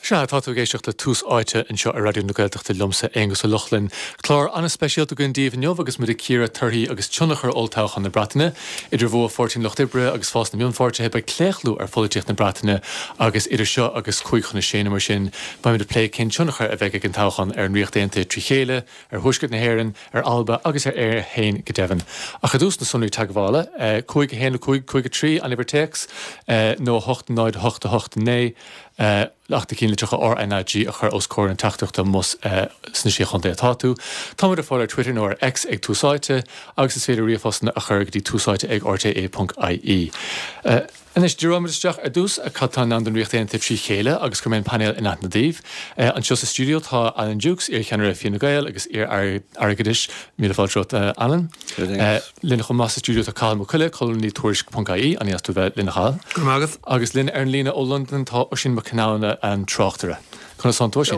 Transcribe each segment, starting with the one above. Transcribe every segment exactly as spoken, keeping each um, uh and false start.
Sea, tá tú ag éisteacht le Tús Áite anseo ar Raidió na Gaeltachta liomsa Aonghus Ó Lochlainn. Clár an-speisialta againn daoibh inniu agus muid ag cíoradh torthaí agus tionchar olltoghchán na Breataine. Idir bhua Pháirtí an Lucht Oibre agus fás na mionpháirtithe beidh claochlú ar pholaitíocht na Breataine agus idir seo agus cúig chun a sé nó mar sin beimid ag plé cén tionchar a bheidh ag an toghchán ar an Ríocht Aontaithe trí chéile, ar Thuaisceart na hÉireann, ar Alba agus ar Éire féin go deimhin. Ach ar dtús na sonraí teagmhála, cúig a haon a cúig cúig a trí an uimhir téacs nó a hocht náid a hocht a hocht naoi. Ach na cinnlitreacha R N A G a chur os comhair an teachtaireachta más sna Sé Chontae atá tú. Táimid ar fáil ar Twitter nó ar X ag Tús Áite agus is féidir ríomhphostanna a chur go dtí túsáite ag R T E ponc I E. Anois díreoimid isteach ar dtús cad atá i ndán don Ríocht Aontaithe trí chéile agus cuirfidh mé an painéal in aithne daoibh. Anseo sa stiúideo tá Alan Dukes, iarcheannaire Fine Gael agus iar-airgeadais míle fáilte romhat Alan. Linn chomh maith sa stiúideo tá Cathal Mac Coille, colúnaí Tuairisc ponc I E an tú bheith linn Cathal. Agus linn ar an líne ó London tá Oisín Mac Conamhna an tráchtaire. Conas tánn tú sin?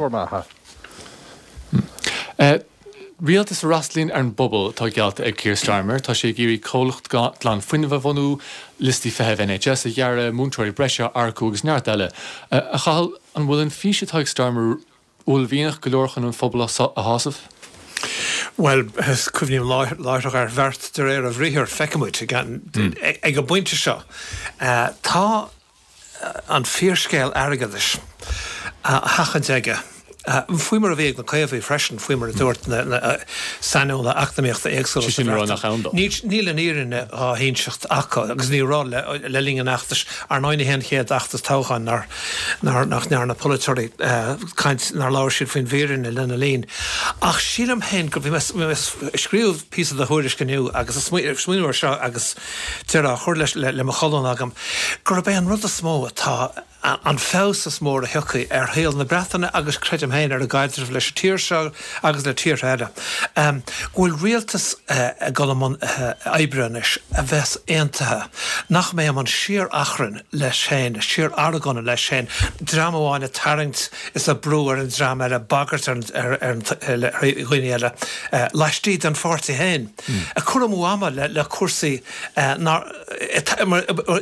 Rialtas a fhreastalaíonn ar an bpobal atá geallta ag Keir Starmer, tá sé ag iarraidh comhlacht glanfhuinnimh a bhunú, liostaí feithimh N H S a ghearradh, múinteoirí breise a earcú agus neart eile. A Chathail, an bhfuil an fís atá ag Starmer uaillmhianach go leor chun an phobal a shásamh? Well cuimhním láithreach ar bheart de réir a bhriathair feicfimid ag an bpointe seo. Tá an fíorscéal airgeadais á sheachaint aige. Faoi mar a bhí ag na Caomhaigh freisin faoi mar a dúirt na saineolaithe eacnamaíochta éagsúla. Níl an fhírinne á hinseacht acu agus ní raibh le linn an fheachtais ar ndóigh ní hé an chéad fheachtas toghcháin nár nach ndearna polaiteoirí caint nár labhair siad faoin bhfírinne lena linn. Ach sílim féin go bhí mé scríobh píosa de thuairisc inniu agus smaoineamh seo agus deireadh á chur leis le mo cholún agam, gurb é an rud is mó atá an feabhas is mór a thiocfaidh ar shaol na Breataine agus creidim féin ar a gcaidreamh leis an tír seo agus le tíortha eile. Um, go bhfuil rialtas uh, ag dul i mbun uh, oibre anois a bheas aontaithe, nach mbeidh an síor-achrann leis féin, síor-argóint leis féin, dream amháin ag tarraingt is ag brú ar an dream eile bagairt ar, ar, ar, ar dhaoine eile uh, laistigh den pháirtí féin. Mm. A cur amú ama le, le cúrsaí uh,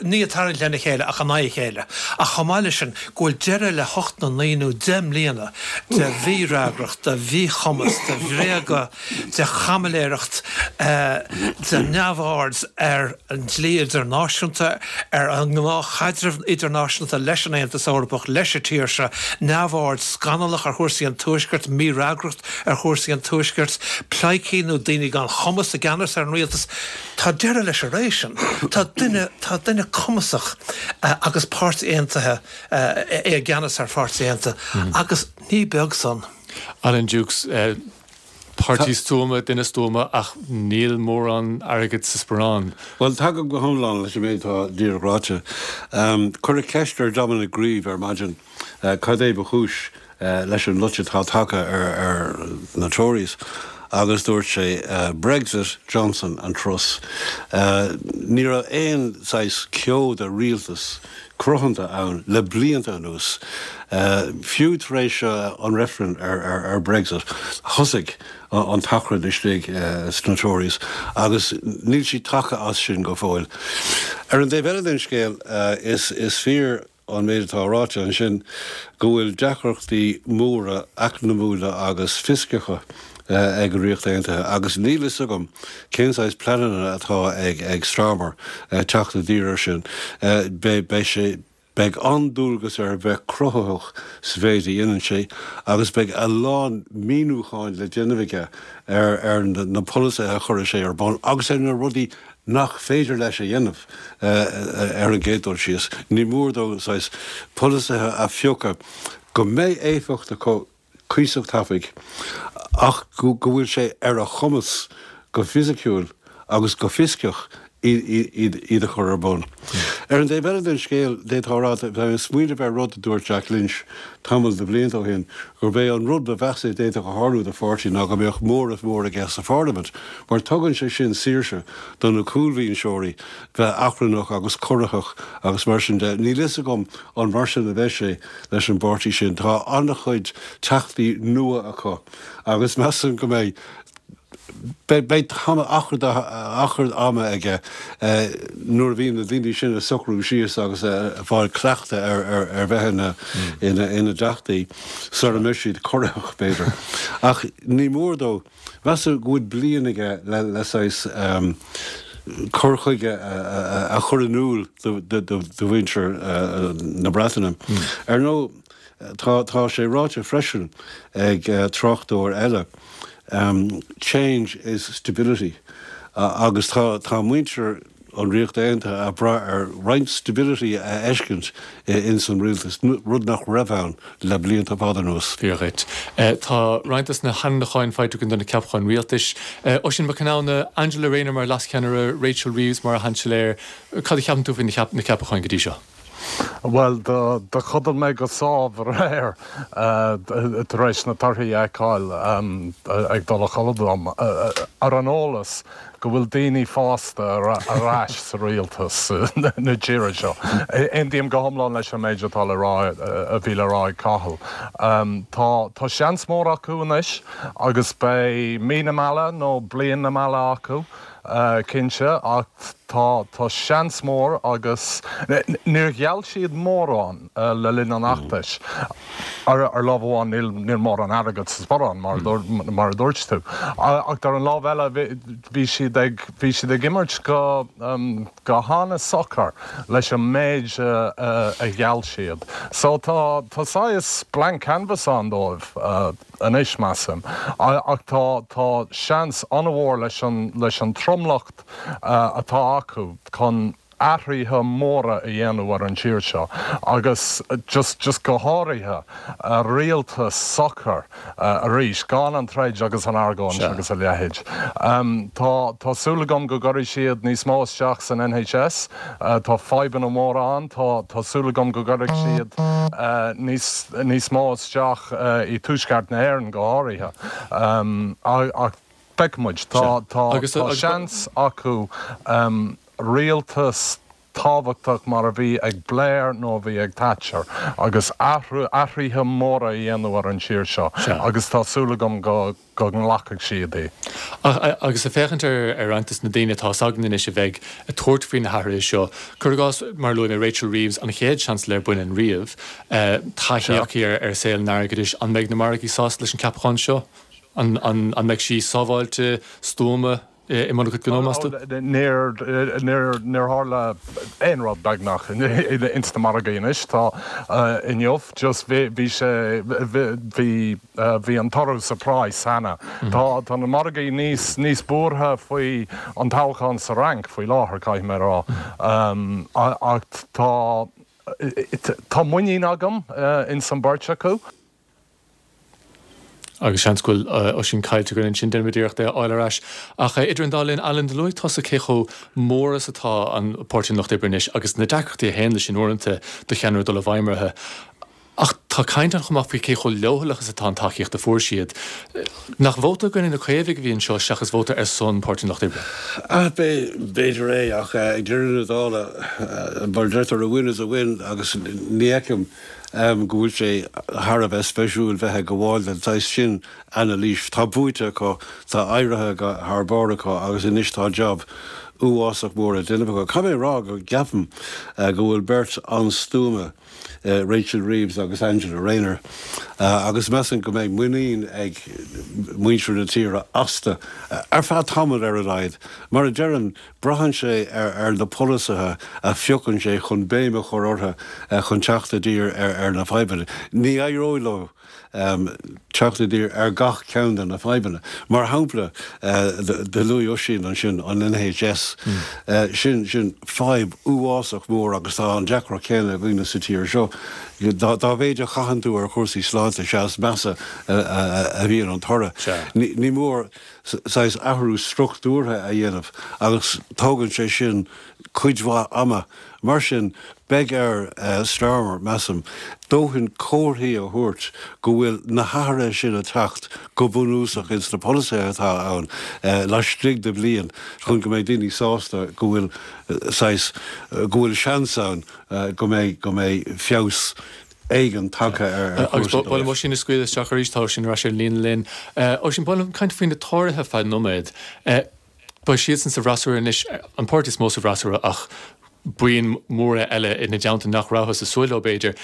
ní ag tarraingt lena chéile ach in aghaidh a chéile. Ach chomh maith leis sin go bhfuil deireadh le hocht nó naoi nó deich mbliana de mhífhreagracht, de mhíchumas, de bhréaga, de chaimiléireacht, de neamhaird ar an dlí idirnáisiúnta, ar an ngnáthchaidreamh idirnáisiúnta leis an Aontas Eorpach leis an tír seo, neamhaird scannalach ar chúrsaí an tuaiscirt, mífhreagracht ar chúrsaí an tuaiscirt, pleidhcí nó daoine gan chumas i gceannas ar an rialtas. Tá deireadh leis an ré sin. Tá duine tá duine cumasach uh, agus páirtí aontaithe uh, i gceannas ar pháirtí aontaithe mm. agus ní beag san. Alan Dukes uh, Páirtí stuama duine stuama ach níl mórán airgead sa sparán. Well tagaim go hiomlán leis an méid atá díreach ráite. Um, Cuireadh ceist ar Dominic Grieve ar maidin uh, cad é ba chúis uh, leis an loit atá tagtha ar, ar na Tories. Agus dúirt sé uh, Brexit, Johnson and Truss. Uh, ní raibh aon saghas ceo de rialtas cruthanta ann le blianta anuas. Uh, fiú tar éis uh, an referendum ar, ar, ar Brexit thosaigh an t-achrann istigh uh, sna Tories agus níl sí tagtha as sin go fóill. Ar an dtaobh eile den scéal uh, is, is fíor an méid atá ráite ansin go bhfuil deacrachtaí móra eacnamúla agus fioscacha uh, ag Ríocht Aontaithe agus níl a fhios agam cén saghas pleananna atá ag ag Starmer uh, teacht i dtír sin uh, be be sé Beidh an-dualgas air bheith cruthaitheach sa mhéid a dhéanann sé agus beidh a lán míniúcháin le déanamh aige ar ar na polasaithe a chuir sé ar bun agus ar na rudaí nach féidir leis a dhéanamh uh, ar an gcéad dul síos. Ní mór dó saghas polasaithe a phiocadh go mbeidh éifeacht acu cuíosach tapaidh ach go go bhfuil sé ar a chumas go fisiciúil agus go fioscach iad a chur ar bun. Ar an dtaobh eile den scéal déarfá smaoineamh ar rud a dúirt Jack Lynch tamall de bhlianta ó shin gurb é an rud ba mheasa a d'fhéadfadh a tharlú do pháirtí ná go mbeadh móramh mór aige sa pharlaimint, mar tugann sé sin saoirse do na cúlbhinseoirí bheith achrannach agus corraitheach agus mar sin de níl a fhios agam an mar sin a bheidh sé leis an bpáirtí sin tá an-chuid teachtaí nua acu agus measaim go mbeidh Beidh achar achar ama aige nuair a bhíonn na daoine sin ag socrú síos agus ag fáil cleachtadh ar ar ar bheith ina ina ina dteachtaí sara mbeidh siad corraitheach b'fhéidir. Ach ní mór dó measaim go bhfuil bliain aige le le saghas cur chuige a chur in iúl do mhuintir na Breataine. Ar ndóigh tá tá sé ráite freisin ag tráchtaire eile um, change is stability uh, agus tá tá muintir an Ríocht Aontaithe ag brath ar roinnt stability a fheiscint in san rialtas rud nach raibh ann le blianta fada anuas. Fíor dhuit. Tá roinnt de na hainmniúcháin faighte againn do na ceapacháin rialtais. Oisín Mac Conamhna, Angela Rayner mar leascheannaire, Rachel Reeves mar Sheansailéir, cad a cheapann tú faoi na ceapacháin go dtí seo? Well do do chodail mé go sámh aréir tar éis na torthaí a fheiceáil ag dul a chodladh dom ar an eolas go bhfuil daoine fásta ar ais sa rialtas na tíre seo. Aontaím go hiomlán leis an méid atá le rá a bhí le rá ag Cathal. Tá tá seans mór acu anois agus beidh mí na meala nó bliain na meala acu. Cinnte ach tá tá seans mór agus níor gheall siad mórán le linn an fheachtais. Ar ar lámh amháin níl níl mórán airgead sa sparán mar mar a dúirt tú. Ach ar an lámh eile bhí siad ag bhí siad ag imirt go go han-socair leis an méid a gheall siad. So tá tá saghas blank canvas ann dóibh anois measaim. Ach tá tá seans an-mhór leis an leis an tromlach atá acu chun athruithe móra a dhéanamh ar an tír seo agus just just go háirithe rialtas socair arís gan an troid agus an argóint agus a leithéid. Um, tá tá súil agam go gcuirfidh siad níos mó isteach san NHS, uh, tá fadhbanna móra ann, tá tá súil agam go gcuirfidh siad uh, níos níos mó isteach uh, i dTuaisceart na hÉireann go háirithe. Um, ach feicfimid tá tá tá seans acu um, rialtas tábhachtach mar a bhí ag Blair nó a bhí ag Thatcher agus athruithe móra a dhéanamh ar an tír seo agus tá súil agam go go nglacfaidh siad í. Agus ag féachaint ar ar roinnt de na daoine atá againn anois a bheidh ag tabhairt faoi na hathruithe seo. Cuir i gcás mar luaigh mé Rachel Reeves an chéad seansailéir baineann riamh, taithí aici ar ar saol an airgeadais, an mbeidh na margaí sásta leis an ceapachán seo? An an an mbeidh sí sábháilte stuama i mbun a cuid gnó meas tú? Níor níor níor tharla aon rud beagnach ins na margaí anois tá inniu just bhí bhí sé bhí bhí an toradh sa praghas cheana. Tá tá na margaí níos níos buartha faoi an toghchán sa Fhrainc faoi láthair caithfidh mé a rá. Ach tá tá muinín agam ins an beirt acu. Agus seans go bhfuil Oisín caillte againn ansin déanfaimid iarracht é a fháil ar ais. Ach idir an dá linn, Alan, do luaigh tusa cé chomh mór is atá an Páirtí an Lucht Oibre anois agus na deacrachtaí a théann leis sin uaireanta do cheannaire dul i bhfeidhm orthu. Ach tá caint ann chomh maith faoi cé chomh leochaileach is atá an tacaíocht a fuair siad. Nach vóta i gcoinne na Caomhaigh a bhí anseo seachas vóta ar son Páirtí an Lucht Oibre? B'fhéidir é ach ag deireadh na dála mar deirtear a win is a win agus ní fheicim go bhfuil sé thar a bheith spéisiúil bheith ag gabháil den saghas sin anailís. Tá buaite acu, tá éirithe thar barr acu agus anois tá jab uafásach mór le déanamh acu. Caithfidh mé a rá go gceapaim go bhfuil beirt an-stuama, Rachel Reeves agus Angela Rayner, agus measaim go mbeidh muinín ag muintir na tíre astu ar feadh tamaill ar a laghad. Mar a deirim, Braitheann sé ar na polasaithe a phiocann sé chun béim a chur orthu chun teacht i dtír ar na fadhbanna. Ní éireoidh leo teacht i dtír ar gach ceann de na fadhbanna. Mar shampla, do luaigh Oisín ansin an NHS. Sin sin fadhb uafásach mór agus tá an deacracht chéanna againne sa tír seo. Dá mhéid a chaitheann tú ar chúrsaí sláinte, sea is measa a bhíonn an toradh. Ní mór. saghas athrú struchtúrtha a dhéanamh agus tógann sé sin cuid mhaith ama. Mar sin, beidh ar Starmer, measaim, dóthain comharthaí a thabhairt go bhfuil na hathruithe sin ag teacht go bunúsach ins na polasaithe atá ann laistigh de bhliain chun go mbeidh daoine sásta go bhfuil saghas, go bhfuil seans ann go mbeidh, go mbeidh feabhas éigin tagtha ar Agus ba mhaith liom Oisín a scaoileadh isteach arís, tá Oisín ar ais ar an líne linn. Oisín, ba mhaith liom caint faoi na Tóraithe feadh nóiméad. Beidh siadsan sa bhfreasúra anois, an páirtí is mó sa bhfreasúra ach buíon móra eile ina dteannta nach rabhthas ag súil leo b'fhéidir.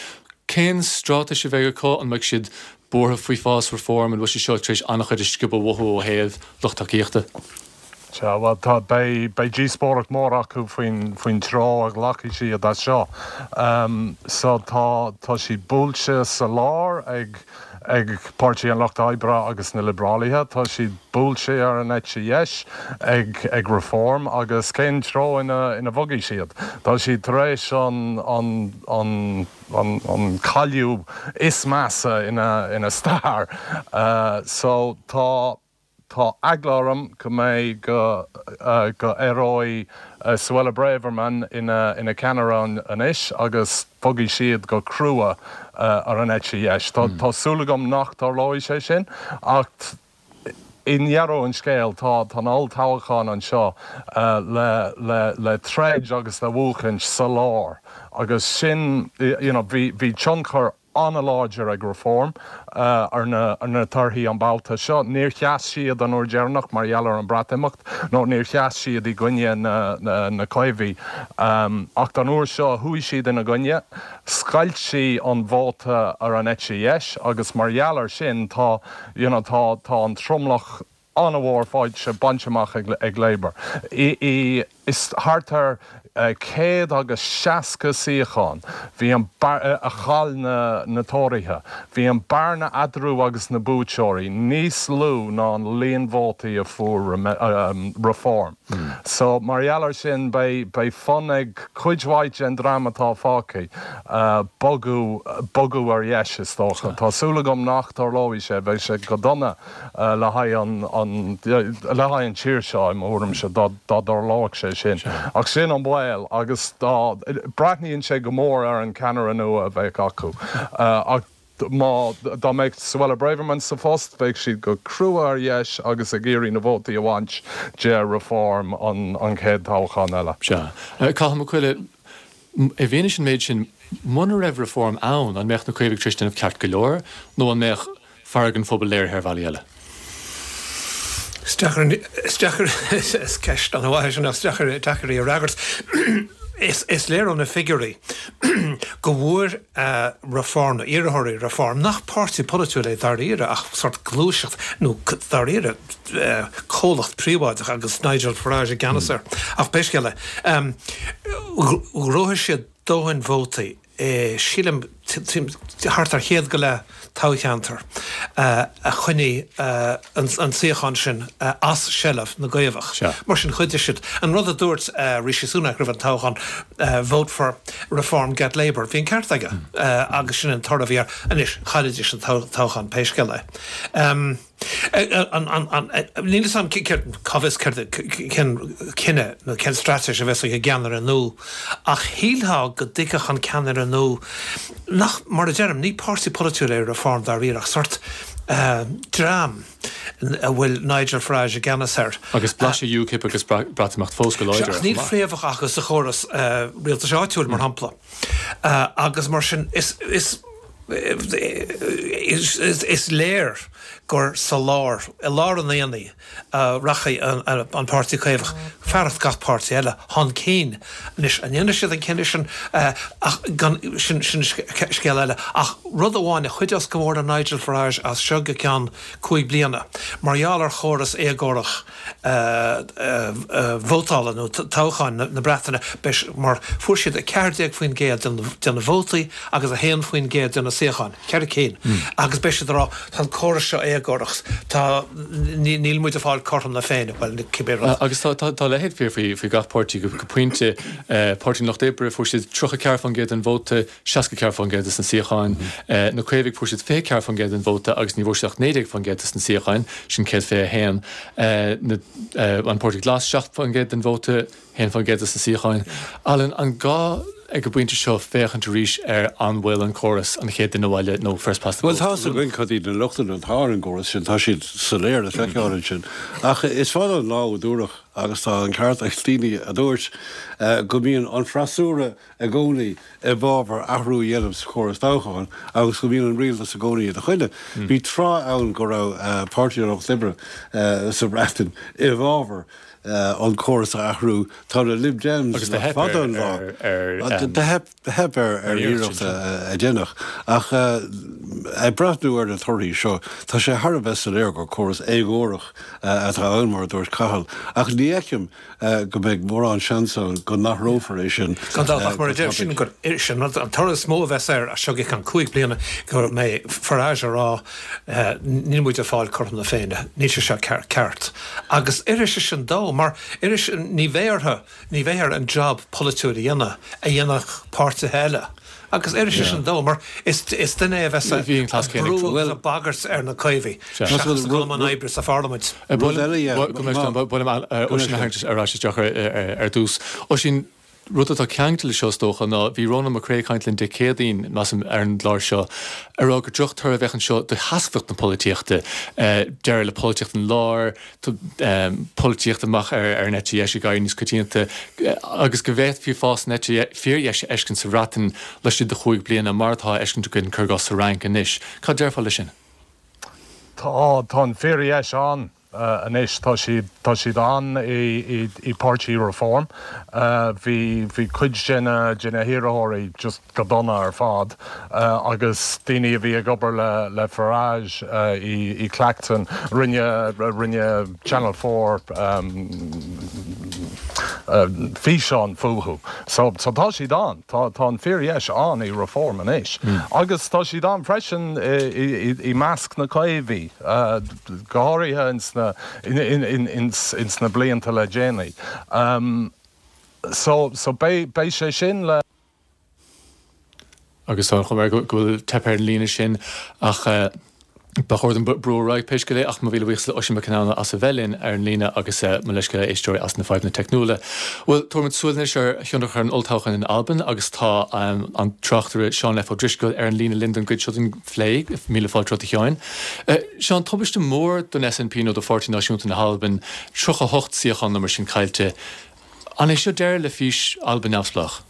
Cén straitéis a bheidh acu? An mbeidh siad buartha faoi fás Reform? An bhfuil sé seo tar éis an-chuid a sciobadh uathu ó thaobh lucht tacaíochta? Sea, bhuel, tá, beidh, beidh díospóireacht mór acu faoin, faoin treo a ghlacfaidh siad as seo. So tá, tá siad buailte sa lár ag, ag Páirtí an Lucht Oibre agus na Liobrálaithe, tá siad buailte ar an eite dheis ag, ag Reform agus cén treo ina, ina bhogfaidh siad? Tá siad tar éis an, an, an, an, an cailleadh is measa ina, ina stair. So tá. Tá eagla orm go mbeidh go go éireoidh Suella Braverman ina ina ceannaire anois agus bogfaidh siad go crua ar an eite dheis. Tá tá súil agam nach dtarlóidh sé sin ach i ndeireadh an scéil tá tá an olltoghchán anseo le le le troid agus le buachaint sa lár agus sin you know bhí bhí tionchar an-láidir ag Reform ar na ar na torthaí an babhta seo. Níor sheas siad an uair dheireanach mar gheall ar an Breatimeacht nó níor sheas siad i gcoinne na na na Caomhaigh ach an uair seo chuaigh siad ina gcoinne. Scoilt sí an vóta ar an eite dheis agus mar gheall ar sin tá you know tá tá an tromlach an-mhór faighte bainte amach ag Labour. I is thart ar céad agus seasca suíochán bhí an a chaill na na Tóraithe. Bhí an bearna eatarthu agus na buaiteoirí níos lú ná an líon vótaí a fuair Reform. So mar gheall ar sin beidh beidh fonn ag cuid mhaith den dream atá fágtha bogadh bogadh ar dheis is dócha. Tá súil agam nach dtarlóidh sé, bheadh sé go dona le haghaidh an an le haghaidh an tír seo i mo thuairimse dá dá dtarlódh sé sin. Ach sin an baol agus dá breathnaíonn sé go mór ar an ceannaire nua a bheadh acu. Ach má dá mbeadh Suella Braverman sa phost bheadh siad go crua ar dheis agus ag iarraidh na vótaí a bhaint de Reform an an chéad toghchán eile. Sea. Cathal Mac Coille, i bhfianaise an méid sin, muna raibh Reform ann, an mbeadh na Caomhaigh tar éis déanamh ceart go leor nó an mbeadh fearg an phobail léirithe ar bhealaí eile? Is deacair, is deacair, is ceist an-mhaith é sin, is deacair, deacair í a fhreagairt. Is, is léir ó na figiúirí go bhfuair Reform, nó iarrthóirí Reform, nach páirtí polaitiúil é dáiríre ach sórt gluaiseacht nó dáiríre comhlacht príobháideach agus Nigel Farage i gceannas air. Ach pé scéal é, ghnóthaigh siad dóthain vótaí sílim, thart ar chéad go leith toghcheantar a choinnigh an suíochán sin as seilbh na gCaomhach. Mar sin, chuidigh siad. An rud a dúirt Rishi Sunak roimh an toghchán, vote for Reform, get Labour, bhí an ceart aige agus sin an toradh a bhí air. Anois, chaillidís an toghchán pé scéal é. Níl 'fhios a'm cá bhfios céard cén cinneadh nó cén straitéis a bheas ag an gceannaire nua ach shílfeá go dtuigfeadh an ceannaire nua nach, mar a deirim, ní páirtí polaitiúil é Reform dáiríre ach sórt dream a bhfuil Nigel Farage i gceannas air. Agus blaiseadh UKIP agus Breatimeacht fós go láidir air chomh maith. Níl fréamhacha acu sa chóras rialtais áitiúil, mar shampla, agus mar sin is Is léir gur sa lár, i lár an aonaigh, a rachaidh an Páirtí Caomhach, fearacht gach páirtí eile, chun cinn. Anois, an ndéanfaidh siad an cinneadh sin? Ach gan, sin scéal eile. Ach rud amháin a chuideos go mór le Nigel Farage as seo go ceann cúig bliana, mar gheall ar chóras éagórach vótála nó toghcháin na Breataine, beidh, mar fuair siad a ceathair déag faoin gcéad de na vótaí agus a haon faoin gcéad de na suíocháin, ceithre cinn, agus beidh siad ag rá, tá an córas seo éagórach, tá, níl muid ag fáil cothrom na Féinne, bhuel, cibé rud. Agus tá, tá a leithéid fíor faoi, faoi gach páirtí go pointe. Páirtí an Lucht Oibre, fuair siad tríocha ceathair faoin gcéad den vóta, seasca ceathair faoin gcéad de na suíocháin. Na Caomhaigh, fuair siad fiche ceathair faoin gcéad den vóta agus ní bhfuair siad ach naoi déag faoin gcéad de na suíocháin, sin céad fiche a haon. An Páirtí Glas, seacht faoin gcéad den vóta, haon faoin gcéad de na suíocháin. Alan, an gá ag an bpointe seo féachaint arís ar an bhfuil an córas an chéad duine abhaile nó first past the Bhuel, post tá's againn cad iad na lochtanna atá ar an gcóras sin, tá siad soiléir le feiceáil ansin. Ach is fada an lá ó dúradh agus tá an ceart ag daoine a dúirt go mbíonn an freasúra i gcónaí i bhfabhar athrú a dhéanamh sa chóras toghcháin agus go mbíonn an rialtas i gcónaí ina choinne. Bhí tráth ann go raibh Páirtí an Lucht Oibre sa Bhreatain i bhfabhar an córas a athrú. Tá na Lib Dems le fada an lá. Do theip ar ar iarracht a déanamh. Ach ag breathnú ar na torthaí seo, tá sé thar a bheith soiléir gur córas éagórach atá ann, mar a dúirt Cathal. Ach ní fheicim go mbeidh mórán seans ann go n-athrófar é sin. Gan dabht, ach mar a deir sin gur sin an toradh is mó a bheas air as seo go ceann cúig bliana go mbeidh Farage ag rá níl muid ag fáil cothrom na Féinne, níl sé seo ceart. Agus oirfidh sé sin dó mar oirfidh sé, ní bheidh orthu, ní bheidh air an job polaitiúil a dhéanamh a dhéanfadh páirtithe eile. Agus oirfidh sé sin dó mar is duine é a bheas ag brú agus ag bagairt ar na Caomhaigh seachas ag dul i mbun oibre sa pharlaimint. Rud eile, yeah. Buailim Oisín a tharraingt ar ais isteach ar dtús. Oisín, rud atá ceangailte leis seo is dócha ná bhí Rónán Mac Craith ag caint linn Dé Céadaoin, measaim, ar an gclár seo, ag rá gur drochtoradh a bheadh anseo do sheasmhacht na polaitíochta, deireadh le polaitíocht an láir, polaitíocht amach ar an eite dheis ag éirí níos coitianta agus go bhféadfaí fás na heite fíordheise a fheiscint sa Bhreatain laistigh de chúig bliana, mar atá á fheiscint againn, cuir i gcás, sa Fhrainc anois. Cad déarfá leis sin? Tá, tá an fíordheis ann. Anois tá siad, tá siad ann i, i Páirtí Reform. Bhí, bhí cuid de na, de na hiarrthóirí just go dona ar fad agus daoine a bhí ag obair le, le Farage i, i Clacton, rinne, rinne Channel Four físeán fúthu. So, so tá siad ann, tá, tá an fíordheis ann i Reform anois. Agus tá siad ann freisin i, i, i measc na Caomhaigh, go háirithe ins na, in, in, ins, ins na blianta le déanaí. So, so beidh, beidh sé sin le. Agus tá an chuma air go bhfuil teip ar an líne sin ach ba chóir dom brú ar aghaidh pé scéal é ach mo mhíle buíochas le Oisín Mac Conamhna as a bheith linn ar an líne agus mo leithscéal a éisteoirí as na fadhbanna teicniúla. Bhuel, tabharfaimid súil anois ar thionchar an olltoghcháin in Albain agus tá an tráchtaire Seán F Ó Drisceoil ar an líne linn don gcuid seo den phlé. Míle fáilte romhat a Sheáin. Seán, tubaiste mór don SNP nó do Pháirtí Náisiúnta na hAlban, tríocha a hocht suíochán nó mar sin caillte. An é seo deireadh le fís Alba neamhspleách?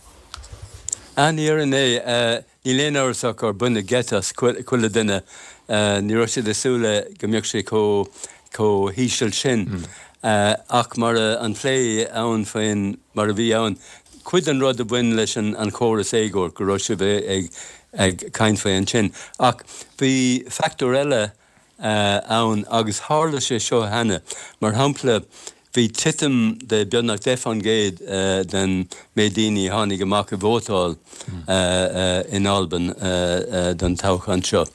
Ní an é. Níl aon amhras ach gur baineadh geit as chuile duine. Ní raibh siad ag súil le go mbeadh sé chomh chomh híseal sin. Ach mar a an plé ann faoin mar a bhí ann, cuid den rud a bhain leis an an chóras éagóir go raibh sibh ag ag caint faoi ansin. Ach bhí factor eile ann agus tharla sé seo cheana. Mar shampla, bhí titim de beagnach deich faoin gcéad den méid daoine a tháinig amach ag vótáil in Albain don toghchán seo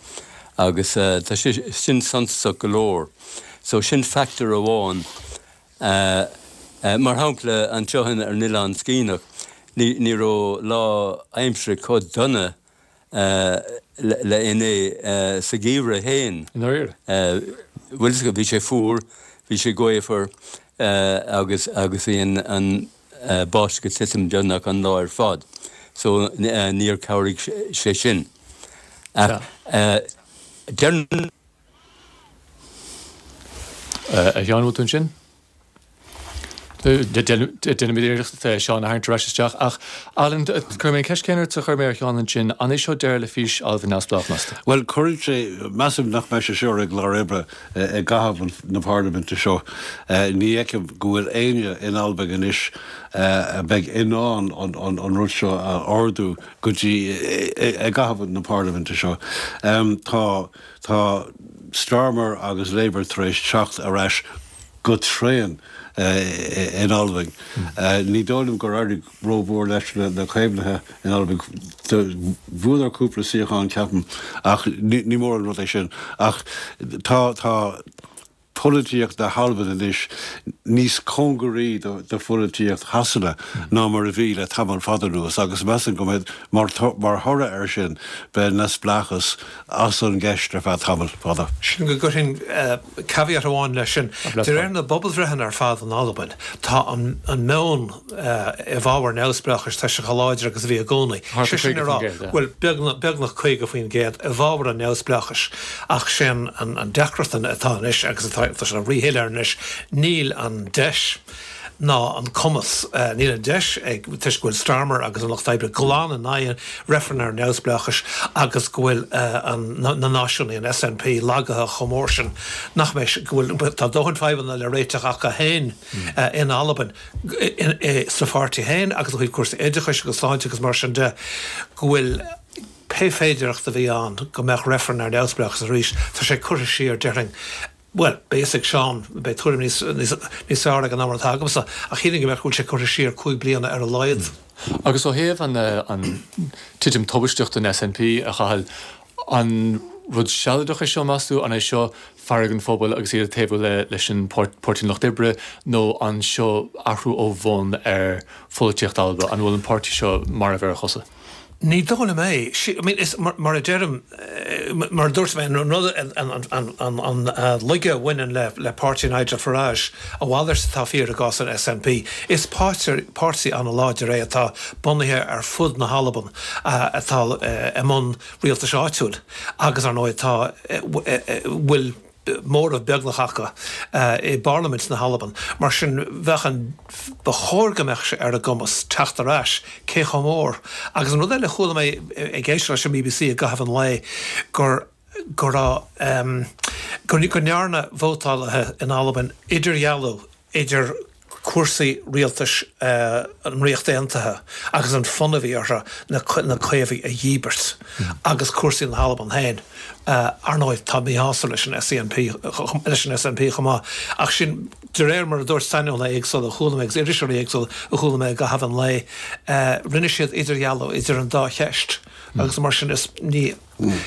agus tá sé sin suntasach go leor. So sin factor amháin. Mar shampla, anseo ar an Oileán Sciathanach, ní raibh lá aimsire chomh dona le inné sa gheimhreadh féin. I ndáiríre? Bhuel, bhí sé fuar, bhí sé gaofar agus agus bhí an an báisteach ag titim beagnach an lá ar fad. So níor chabhraigh sé sin. Ach deireann. A Sheáin, bhfuil tú ansin? Déanfaimid iarracht Seán a tharraingt ar ais isteach ach, Alan, cuirfidh mé an ceist céanna ort a chuir mé ar Sheán ansin, an é seo deireadh le fís Alba neamhspleách, meas tú? Bhuel, cuireann sé, measaim nach mbeidh sé seo ar an gclár oibre i gcaitheamh na parlaiminte seo. Ní fheicim go bhfuil éinne in Albain anois a bheidh in ann an rud seo a ardú go dtí i gcaitheamh na parlaiminte seo. Tá, tá Starmer agus Labour tar éis teacht ar ais go tréan in Albain. Ní dóigh liom gur éirigh rómhór leis na Caomhnaithe in Albain. Bhuadar cúpla suíochán, ceapaim, ach ní mór an rud é sin. Ach tá tá polaitíocht na hAlban anois níos cóngaraí do pholaitíocht Shasana ná mar a bhí le tamall fada anuas agus measaim go mbeidh, mar thoradh air sin, beidh neamhspleáchas as an gceist ar feadh tamall fada. Sin go gcuirfinn caveat amháin leis sin. De réir na bpobalbhreitheanna ar fad in Albain, tá an meon i bhfabhar neamhspleáchais, tá sé chomh láidir agus a bhí i gcónaí. Sé sin le rá, bhuel, beagnach caoga faoin gcéad i bhfabhar an neamhspleáchais. Ach sé an deacracht atá anois, agus atá sé ríshoiléir anois, níl an deis ná an cumas, níl an deis ag, toisc go bhfuil Starmer agus an Lucht Oibre glan in aghaidh reifreann ar neamhspleáchais agus go bhfuil na náisiúnaigh, an S N P, lagaithe chomh mór sin nach mbeidh, go bhfuil, tá dóthain fadhbanna le réiteach acu féin in Albain, sa pháirtí féin agus ó thaobh cúrsaí oideachais agus sláinte agus mar sin de, go bhfuil pé féidearthacht a bhí ann go mbeadh reifreann ar neamhspleáchas arís, tá sé curtha siar, déarfainn. Bhuel, beidh fhios ag Seán, beidh tuairim níos, níos, níos fearr aige ná mar atá agamsa, ach shílfinn go mbeadh, go bhfuil sé curtha siar cúig bliana ar a laghad. Agus ó thaobh an, an titim tubaisteach don S N P, a Chathail, an rud sealadach é seo, meas tú? An é seo fearg an phobail agus iad ag taobhú le, leis an Páirtí an Lucht Oibre, nó an seo athrú ó bhun ar pholaitíocht Alba? An bhfuil an páirtí seo marbh ar a chosa? Ní dóigh liom é. I mean, is, mar, mar a deirim, mar a dúirt mé, an rud, an, an, an, an, an laige a bhaineann le, le páirtí Nigel Farage, a mhalairt atá fíor i gcás an S N P. Is páirtí, páirtí an-láidir é atá bunaithe ar fud na hAlban, atá i mbun rialtais áitiúil agus ar ndóigh atá, bhfuil móramh beagnach acu i bParlaimint na hAlban. Mar sin bheadh an, ba chóir go mbeadh sé ar a gcumas teacht ar ais, cé chomh mór. Agus an rud eile a chuala mé ag éisteacht leis an B B C i gcaitheamh an lae gur go raibh go go ndearna vótálaithe in Albain idirdhealú idir cúrsaí rialtais an Ríocht Aontaithe agus an fonn a bhí orthu na na Caomhaigh a dhíbirt agus cúrsaí na hAlban féin. Ar ndóigh tá míshásamh leis an S N P leis an S N P chomh maith, ach sin de réir mar a dúirt saineolaithe éagsúla a chuala mé agus iriseoirí éagsúla a chuala mé i gcaitheamh an lae, rinne siad idirdhealú idir an dá cheist agus mar sin is ní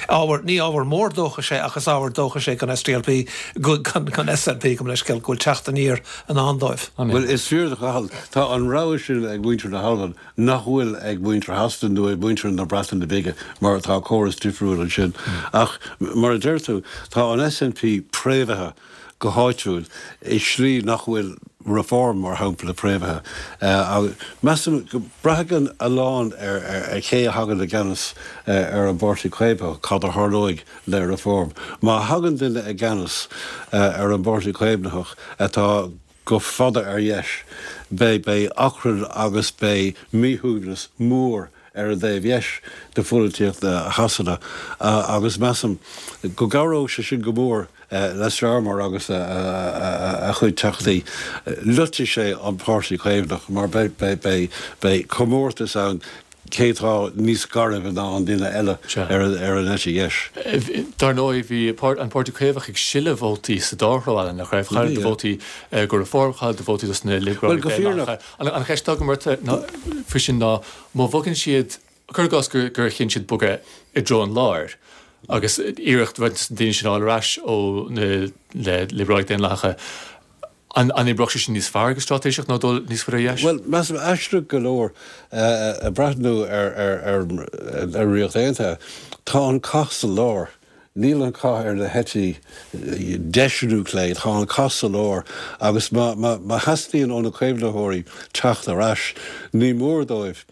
ábhar ní ábhar mór dóchais é ach is ábhar dóchais é don S D L P don S N P go leiscéal go bhfuil teacht aniar i ndán dóibh. Well is fíor Cathal, tá an rogha sin ag muintir na hAlban nach bhfuil ag muintir Shasana nó ag muintir na Breataine Bige mar atá córas difriúil ansin. Ach mar a deir tú, tá an S N P préamhaithe go háitiúil i slí nach bhfuil Reform mar shampla préamhaithe. Uh, Measaim go mbraitheann a lán ar, ar, ar cé a thagann i gceannas uh, ar an bPáirtí Caomhnach cad a tharlóidh le Reform. Má thagann duine i gceannas uh, ar an bPáirtí Caomhnach atá go fada ar dheis, beidh beidh achrann agus beidh míshuaimhneas mór ar an dtaobh dheis de pholaitíocht Shasana agus measaim go gcabhródh sé sin go mór le Starmer agus a chuid teachtaí. Loitfidh sé an Páirtí Caomhnach mar beidh comórtas ann cé tá níos gairbhe ná an duine eile ar ar an eite dheis. Dar ndóigh bhí an Páirtí Caomhach ag sileadh vótaí sa dá threo nach raibh chaill siad vótaí go Reform, chaill siad vótaí dos na Liobrálaigh. An cheist go faoi sin ná má bhogann siad cur i gcás gur chinn siad bogadh i dtreo an láir. Agus iarracht daoine sin ar ais ó na Liobrálaigh Daonlathacha an an oibreodh sé sin níos fearr go straitéiseach ná dul níos faide dheis? Well measaim aisteach go leor ag breathnú ar ar ar ar Ríocht Aontaithe. Tá an cath sa lár. Níl an cath ar na heití deis nó clé, tá an cath sa lár agus má má theastaíonn ó na caomhnaitheoirí teacht ar ais, ní mór dóibh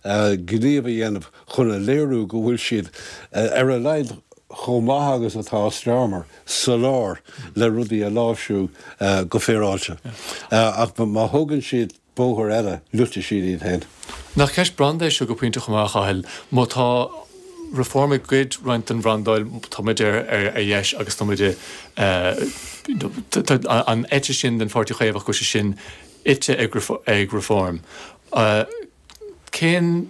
gníomh a dhéanamh chun a léiriú go bhfuil siad ar a laghad chomh maith agus atá Starmer sa lár le rudaí a láimhsiú go féaráilte. Ach má thógann siad bóthar eile loitfidh siad iad féin. Nach ceist branda é seo go pointe chomh maith, a Chathail, má tá Reform ag goid roinnt den bhrandáil tá muid ar ar dheis agus tá muid an eite sin den Pháirtí Caomhach go sé sin ite ag ag Reform. Cén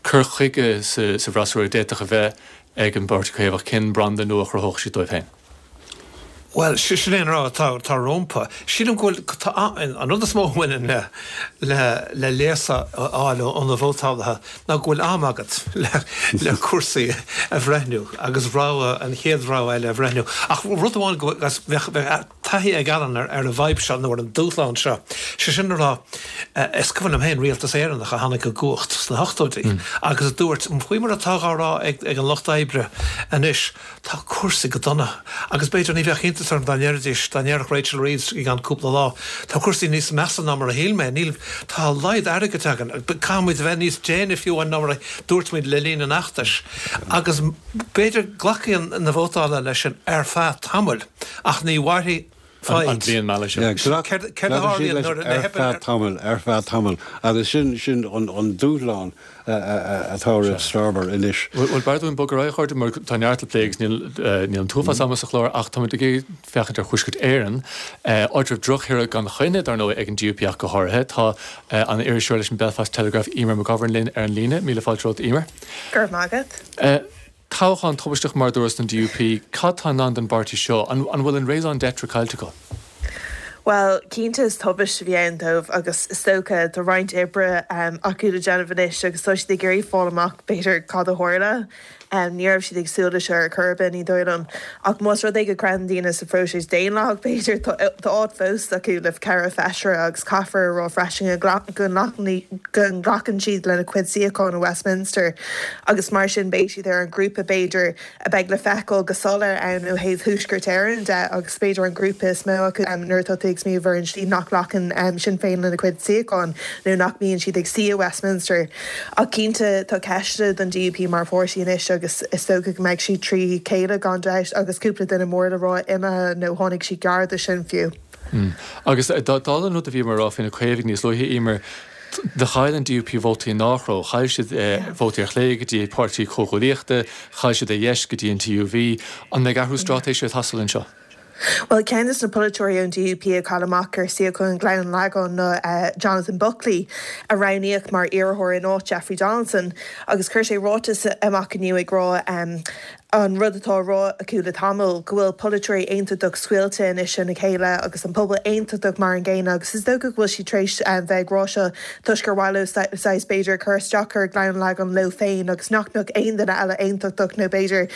cur chuige sa sa bhfreasúra d'fhéadfadh a bheith ag an bPáirtí Caomhach cén branda nua a chruthódh siad dóibh féin? Well sin é an rud atá tá rompu. Sílim go bhfuil an rud is mó a bhaineann le le le léas a fháil ó na vótálaithe ná go bhfuil am agat le le cúrsaí a bhreithniú agus rogha an chéad rogha eile a bhreithniú. Ach rud amháin go bheadh taithí ag Alan ar ar an bhfadhb seo nó ar an dúshlán seo. Sé sin a rá is cuimhin liom féin rialtas Éireannach a tháinig i gcumhacht sna hochtóidí agus a dúirt faoi mar atá á rá ag ag an lucht oibre anois tá cúrsaí go dona agus b'fhéidir ní bheadh iontas orm dá ndéarfaidís dá ndéarfadh Rachel Reeves i gceann cúpla lá tá cúrsaí níos measa ná mar a shíl mé níl tá a laghad airgid againn caithfimid a bheith níos déine fiú ná mar a dúirt muid le linn an fheachtais agus b'fhéidir glacfaidh na vótálaithe leis sin ar feadh tamaill ach ní mhairfidh an bhliain mhallaithe seo. Céard a tharlaíonn nuair a ar feadh tamaill, ar feadh tamaill, agus sin sin an an dúshlán atá roimh Starmer anois. Bhuel, b'fhearr dúinn bogadh ar aghaidh, a chairde, mar tá neart le plé agus níl níl an t-uafás ama sa chlár ach táimid ag féachaint ar Thuaisceart Éireann, áit a raibh drochthoradh gan choinne, dar ndóigh, ag an D U P ach go háirithe. Tá an iriseoir leis an Belfast Telegraph, Eimear McGovern, linn ar an líne. Míle fáilte romhat, Eimear. Go raibh maith agat. Toghchán tubaisteach mar a dúras don D U P. Cad tá i ndán don bpáirtí seo? An bhfuil an raison d'être caillte acu? Bhuel, cinnte is tubaiste a bhí ann dóibh agus is dócha tá roinnt oibre acu le déanamh anois agus tá siad ag iarraidh fáil amach b'fhéidir cad a tharla. Ní raibh siad ag súil leis seo ar chor ar bith, ní dóigh liom. Ach más rud é go gcreideann daoine sa phróiseas daonlathach, b'fhéidir, tá áit fós acu le ceithre feisire agus caithfear a rá freisin go nglacann siad lena cuid suíochán i Westminster agus mar sin beidh siad ar an ngrúpa b'fhéidir a bheidh le feiceáil go soiléir ann ó thaobh Thuaisceart Éireann de agus b'fhéidir an grúpa is mó acu nuair atá tú ag smaoineamh ar an slí nach nglacann Sinn Féin lena cuid suíochán nó nach mbíonn siad ag suí i Westminster. Ach cinnte tá ceisteanna don D U P mar pháirtí anois agus is dócha go mbeidh siad trí chéile gan dabht agus cúpla duine mór le rá imithe nó tháinig siad gar do sin fiú. Agus dála an rud a bhíomar a rá faoi na Caomhaigh níos luaithe, Eimear, do chaill an D U P vótaí i ndá threo. Chaill siad vótaí ar chlé go dtí Páirtí Comhghuaillíochta, chaill siad ar dheis go dtí an T U V. An mbeidh athrú straitéise ag teastáil anseo? Bhuel, ceann de na polaiteoirí ón D U P a chaill amach ar suíochán Ghleann an Lagáin ná Jonathan Buckley, a roghnaíodh mar iarrthóir in áit Jeffrey Donaldson, agus chuir sé ráiteas amach inniu ag rá an rud atá á rá acu le tamall, go bhfuil polaiteoirí aontachtach scoilte anois ina chéile agus an pobal aontachtach mar an gcéanna agus is dócha go bhfuil siad tar éis bheith ag rá seo toisc gur mhaith leo saghas b'fhéidir cur isteach ar Ghleann an Lagáin leo féin agus nach mbeadh aon duine eile aontachtach nó b'fhéidir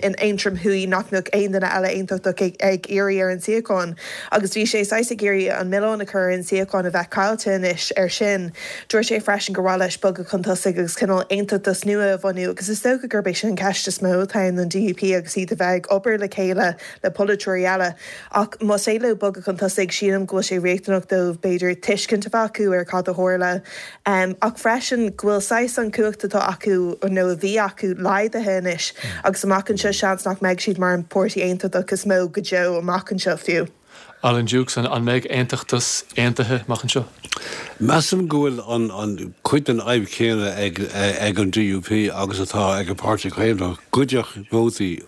in Aontroim Thuaidh nach mbeadh aon duine eile aontachtach ag ag iarraidh ar an suíochán agus bhí sé saghas ag iarraidh an milleán a chur ar an suíochán a bheith caillte anois ar sin. Dúirt sé freisin gur mhaith leis bogadh chun tosaigh agus cineál aontachtas nua a bhunú agus is dócha gurb é sin an ceist is mó atá ann don D U P agus iad a bheith ag obair le chéile le polaiteoirí eile. Ach más é leo bogadh chun tosaigh, sílim go bhfuil sé riachtanach dóibh b'fhéidir tuiscint a bheith acu ar cad a tharla. Ach freisin go bhfuil saghas an cumhacht atá acu nó a bhí acu laghdaithe anois agus amach anseo seans nach mbeidh siad mar an páirtí aontachtach is mó go deo amach anseo fiú. Alan Dukes, an mbeidh aontachtas aontaithe amach anseo? Measaim go bhfuil an an cuid den fhadhb chéanna ag ag an D U P agus atá ag an Páirtí Caomhnach, goideadh vótaí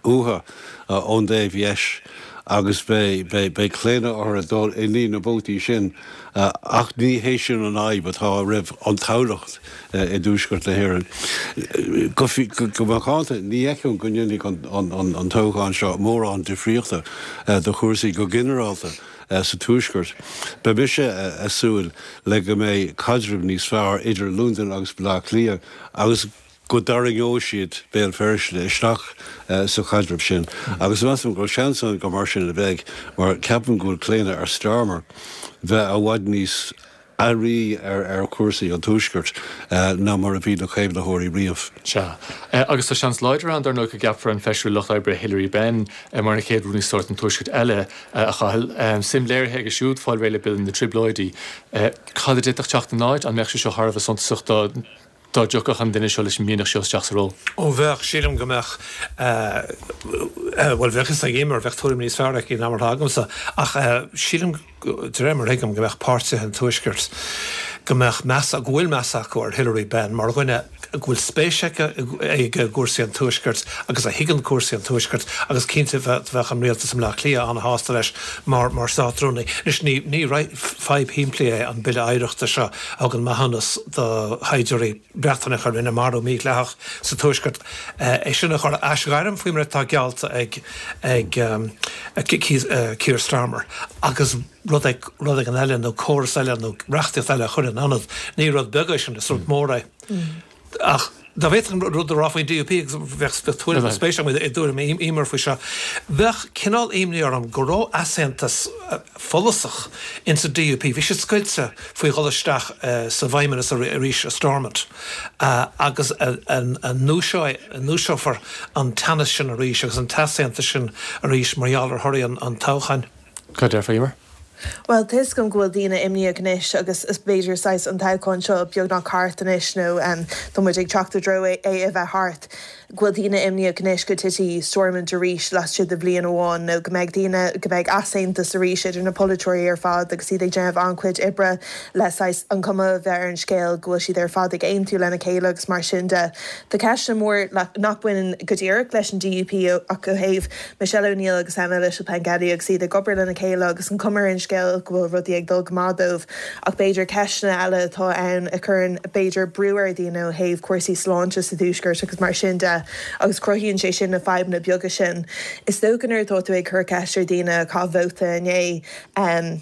uathu ón dtaobh dheis agus beidh beidh claonadh orthu dul i ndiaidh na vótaí sin ach ní hé sin an fhadhb atá roimh an toghlach i dTuaisceart na hÉireann. Go go macánta, ní fheicim go ndéanfaidh an an toghchán seo mórán difríochta do chúrsaí go ginearálta sa Tuaisceart. Beidh mise ag súil le go mbeidh caidreamh níos fearr idir Londain agus Baile Átha Cliath agus go dtarraingeoidh siad Béal Feirste isteach sa chaidreamh sin. Agus measaim go bhfuil seans ann gur mar sin a bheidh, mar ceapaim go bhfuil claonadh ar Starmer bheith i bhfad níos airí ar ar chúrsaí an Tuaiscirt ná mar a bhí na Caomhnaitheoirí riamh. Sea. Agus tá seans láidir ann, dar ndóigh, go gceapfar an feisire Lucht Oibre Hilary Benn mar an chéad Rúnaí Stáit an Tuaiscirt eile, a Chathail. Suim léirithe aige siúd fáil réidh le Bille na dTrioblóidí. Cad a d'fhéadfadh teacht ina áit? An mbeadh sé seo thar a bheith suntasach dá dá dtiocfadh an duine seo leis an mianach seo isteach sa ról? Ó bheadh, sílim go mbeadh, bhuel bheadh fhios ag Eimear, bheadh tuairim níos fearr aici ná mar atá agamsa, ach sílim, de réir mar a thuigim, go mbeadh páirtithe an Tuaiscirt, go mbeadh meas, go bhfuil meas acu ar Hilary Benn mar dhuine go bhfuil spéis aici i gcúrsaí an Tuaiscirt agus a thuigeann cúrsaí an Tuaiscirt agus cinnte bheadh an rialtas i mBleá Cliath an-shásta leis mar mar Státrúnaí. Anois ní ní fadhb shimplí é an Bille Oidhreachta seo a thugann maithiúnas do shaighdiúirí Breatanacha a rinne marú mídhleathach sa Tuaisceart, é sin a chur a aisghairm faoi mar atá geallta ag ag Keir Starmer agus rud rud éigin eile nó córas eile nó reachtaíocht eile a chur in ionad. Ní rud beag é sin, is rud mór é. Ach dá bhféadfainn rud a rá faoin D U P agus bheadh tuairim spéis agam i dtuairim Eimear faoi seo, bheadh cineál imní orm go raibh easaontas follasach insa D U P. Bhí siad scoilte faoi dhul isteach sa bhFeidhmeannas arís i Stormont agus an ndúiseofar an teannas sin arís agus an t-easaontas sin arís mar gheall ar thorthaí an toghcháin. Cad déarfá, Eimear? Bhuel, tá fhios agam go bhfuil daoine imníoch anois agus is b'fhéidir saghas an toghchán seo beagnach thart anois nó tá muid ag teacht i dtreo é a bheith thart. go bhfuil daoine imníoch anois go dtitfidh Stormont arís laistigh de bhliain amháin nó go mbeidh daoine, go mbeidh easaontas arís idir na polaiteoirí ar fad agus iad ag déanamh an-chuid oibre le saghas an cuma a bheith ar an scéal go bhfuil siad ar fad ag aontú lena chéile agus mar sin de. Tá ceisteanna mór nach mbaineann go díreach leis an D U P ach ó thaobh Michelle O'Neill agus Emma Little-Pengelly agus iad ag obair lena chéile agus an cuma ar an scéal go bhfuil rudaí ag dul go maith dóibh ach b'fhéidir ceisteanna eile atá ann a chuireann b'fhéidir brú ar dhaoine ó thaobh cúrsaí sláinte sa Tuaisceart agus mar sin de agus cruthaíonn sé sin na fadhbanna beaga sin. Is dócha nuair atá tú ag cur ceist ar dhaoine a chaith vóta inné,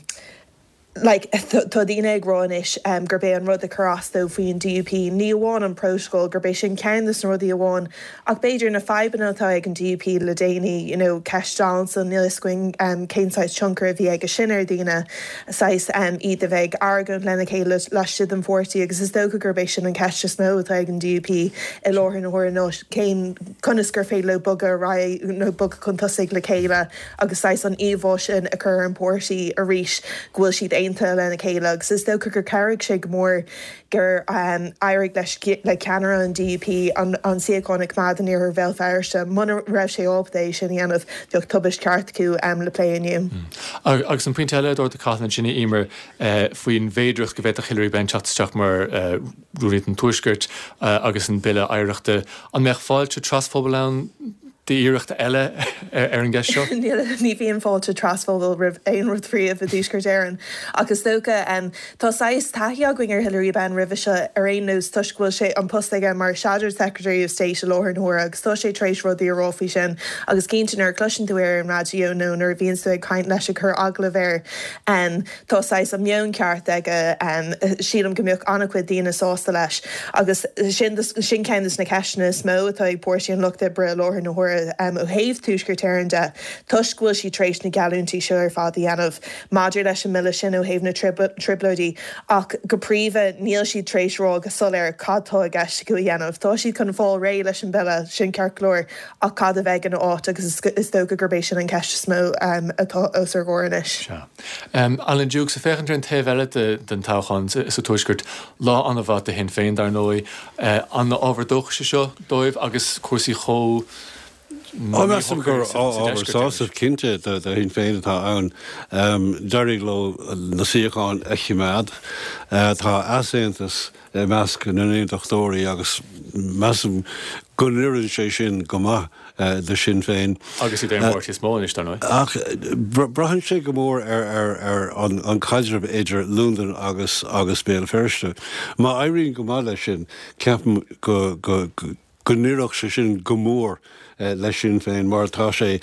like, tá daoine ag rá anois gurb é an rud a chuir as dóibh faoin D U P, ní amháin an prótacal, gurb é sin ceann de na rudaí amháin, ach b'fhéidir na fadhbanna atá ag an D U P le déanaí, you know, ceist Donaldson, níl fhios againn cén saghas tionchar a bhí aige sin ar dhaoine, saghas iad a bheith ag argóint lena chéile laistigh den pháirtí agus is dócha gurb é sin an cheist is mó atá ag an D U P i láthair na huaire ná cén, conas gur féidir leo bogadh ar aghaidh nó bogadh chun tosaigh le chéile agus saghas an íomhá sin a chur ar an bpáirtí arís go bhfuil siad aontaithe lena chéile agus is dócha gur chabhraigh sé go mór gur éirigh leis le ceannaire an D U P an suíochán a choimeád in iarthar Bhéal Feirste. Muna raibh sé ábalta é sin a dhéanamh, bheadh tubaist ceart acu le plé inniu. Agus an pointe eile a d'ardaigh Cathal ansin, a Emer, faoin bhféidearthacht go bhféadfadh Hilary Benn teacht isteach mar Rúnaí don Tuaisceart agus an Bille Oidhreachta, an mbeadh fáilte trasphobail ann d'iarracht eile ar an gceist seo? Ní bhíonn fáilte trasphobail roimh aon rud riamh i dTuaisceart Éireann. Ach is dócha, tá saghas taithí againn ar Hilary Benn roimhe seo ar aon nós toisc go bhfuil sé an post aige mar Shadow Secretary of State i láthair na huaire agus tá sé tar éis rudaí a rá faoi sin agus cinnte nuair a chloiseann tú é ar an raidió nó nuair a bhíonns tú ag caint leis ag cur agallamh air tá saghas an meon ceart aige. Sílim go mbeadh an-chuid daoine sásta leis agus sin sin ceann de na ceisteanna is mó atá ag Páirtí an Lucht Oibre i láthair na huaire. Ó thaobh Tuaisceart Éireann de, toisc go bhfuil siad tar éis na geallúintí seo ar fad a dhéanamh maidir leis an mbille sin ó thaobh na trioblóidí, ach go príomha níl siad tar éis rá go soiléir cad tá i gceist acu a dhéanamh. Tá siad chun fáil réidh leis an mbille, sin ceart go leor, ach cad a bheidh ina áit agus is dócha gurb é sin an cheist is mó atá os ár gcomhair anois. Sea. Alan Dukes, ag féachaint ar an taobh eile den toghchán sa Tuaisceart, lá an-mhaith do Shinn Féin, dar ndóigh. An ábhar dóchais é seo dóibh agus cúrsaí chomh Ó, measaim gur ábhar sásaimh cinnte do Shinn Féin atá ann. D'éirigh leo na suíocháin a choimeád. Tá easaontas i measc na n-aontachtóirí agus measaim go n-oireann sé sin go maith do Shinn Féin. Agus iad ar an bpáirtí is mó anois, dar ndóigh. Ach braitheann sé go mór ar an chaidreamh idir Londain agus agus Béal Feirste. Má éiríonn go maith leis sin, ceapaim go go n-oirfeadh sé sin go mór le Sinn Féin mar tá sé,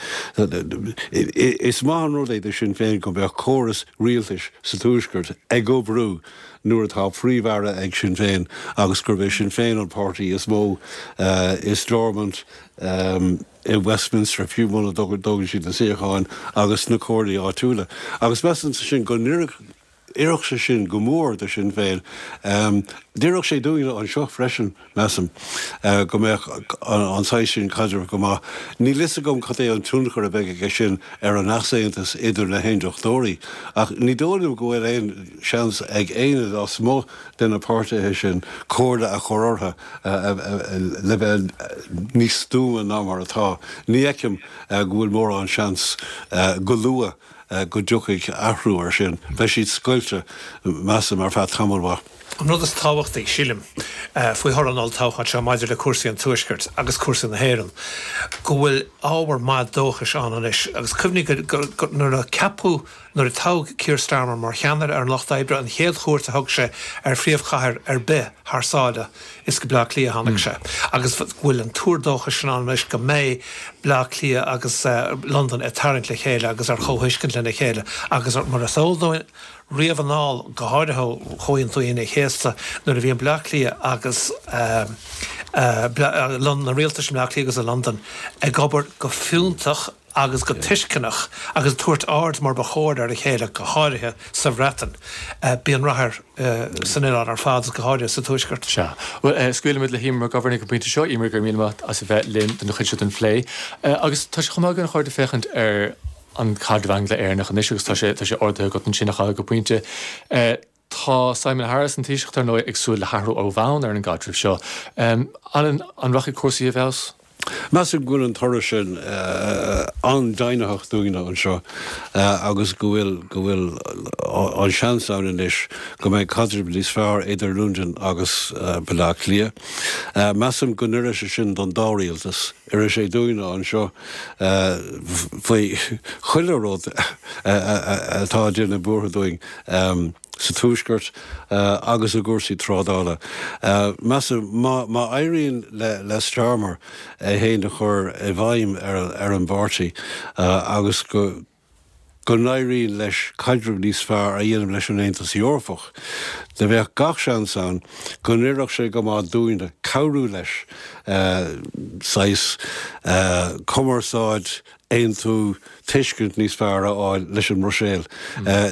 is maith an rud é do Shinn Féin go mbeadh córas rialtais sa Tuaisceart ag oibriú nuair atá Príomh-Aire ag Sinn Féin agus gurb é Sinn Féin an páirtí is mó i Stormont, i Westminster, fiú muna dtógann siad na suíocháin agus sna comhairlí áitiúla. Agus measaimse sin go n-oirfeadh. D'oirfeadh sé sin go mór do Shinn Féin. D'oirfeadh sé dúinne anseo freisin, measaim, go mbeadh an saghas sin caidrimh go maith. Níl fhios agam cad é an tionchar a bheidh aige sin ar an easaontas idir na hAontachtóirí, ach ní dóigh liom go bhfuil aon seans ag éinne lasmuigh de na páirtithe sin comhairle a chur orthu le bheith níos stuama ná mar atá. Ní fheicim go bhfuil mórán seans go luath go dtiocfaidh athrú air sin. Beidh siad scoilte, measaim, ar feadh tamall mhaith. An rud is tábhachtaí, sílim, faoi thoradh an olltoghcháin seo maidir le cúrsaí an Tuaiscirt agus cúrsaí na hÉireann, go bhfuil ábhar maith dóchais ann anois. Agus cuimhnigh go nuair a ceapadh, nuair a toghadh Keir Starmer mar cheannaire ar an Lucht Oibre, an chéad chuairt a thug sé ar phríomhchathair ar bith thar sáile, is go Bleá Cliath a tháinig sé. Agus go bhfuil an tuar dóchais sin ann anois go mbeidh Bleá Cliath agus Londain ag tarraingt le chéile agus ar chomhthuiscint lena chéile agus mar is eol dúinn riamh anall, go háirithe ó Chomhaontú Aoine an Chéasta, nuair a bhíonn Bleá Cliath agus na rialtais i mBleá Cliath agus i Londain ag obair go fiúntach agus go tuisceanach agus ag tabhairt aird mar ba chóir ar a chéile, go háirithe sa Bhreatain. Bíonn rath air san oileán ar fad agus go háirithe sa Tuaisceart. Sea. Bhuel, scaoilfimid le hEmer McGovern ag an bpointe seo. Emer, go raibh míle maith as a bheith linn don chuid seo den phlé. Agus tá sé chomh maith againn, a chairde, féachaint ar an chaidreamh Angla-Éireannach anois agus tá sé tá sé ardaithe agat ansin, a Chathail, go pointe. Tá Simon Harris, an Taoiseach, dar ndóigh, ag súil le hathrú ó bhonn ar an gcaidreamh seo. Alan, an rachaidh cúrsaí i bhfeabhas? Measaim go bhfuil an toradh sin an-deimhnitheach dúinne anseo agus go bhfuil go bhfuil an seans ann anois go mbeidh caidreamh níos fearr idir Londain agus Baile Átha Cliath. Measaim go n-oirfidh sé sin don dá rialtas, oirfidh sé dúinne anseo faoi chuile rud atá ag déanamh buartha dúinn sa Tuaisceart agus i gcúrsaí trádála. Measaim má má éiríonn le le Starmer é féin a chur i bhfeidhm ar ar an bpáirtí agus go go n-éiríonn leis caidreamh níos fearr a dhéanamh leis an Aontas Eorpach, do bheadh gach seans ann go n-oirfeadh sé go maith dúinne cabhrú leis saghas cumarsáid, aontú, tuiscint níos fearr a fháil leis an mBruiséil.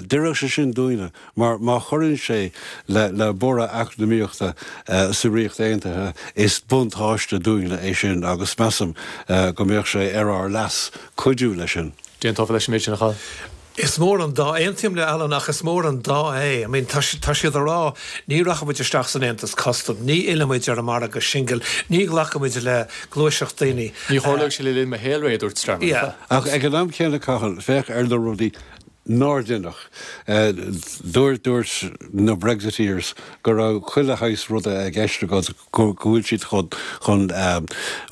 D'oirfeadh sé sin dúinne mar má chuireann sé le borradh eacnamaíochta sa Ríocht Aontaithe is buntáiste dúinne é sin agus measaim go mbeadh sé ar ár leas cuidiú leis sin. D'aontófá leis an méid sin, a Chathail? Is mór an dá, aontaím le Alan ach is mór an dá é. I mean tá tá siad a rá ní rachaidh muid isteach san Aontas Custaim, ní fhillfidh muid ar an margadh singil, ní ghlacfaidh muid le gluaiseacht daoine. Ní tharlóidh sé le linn mo shaolré, a dúirt Starmer. Yeah. Ach ag an am céanna, Cathal, féach ar na rudaí nár deineadh. Dúirt dúirt na Brexiteers go raibh chuile shaghas ruda i gceist acu, go bhfuil siad chun chun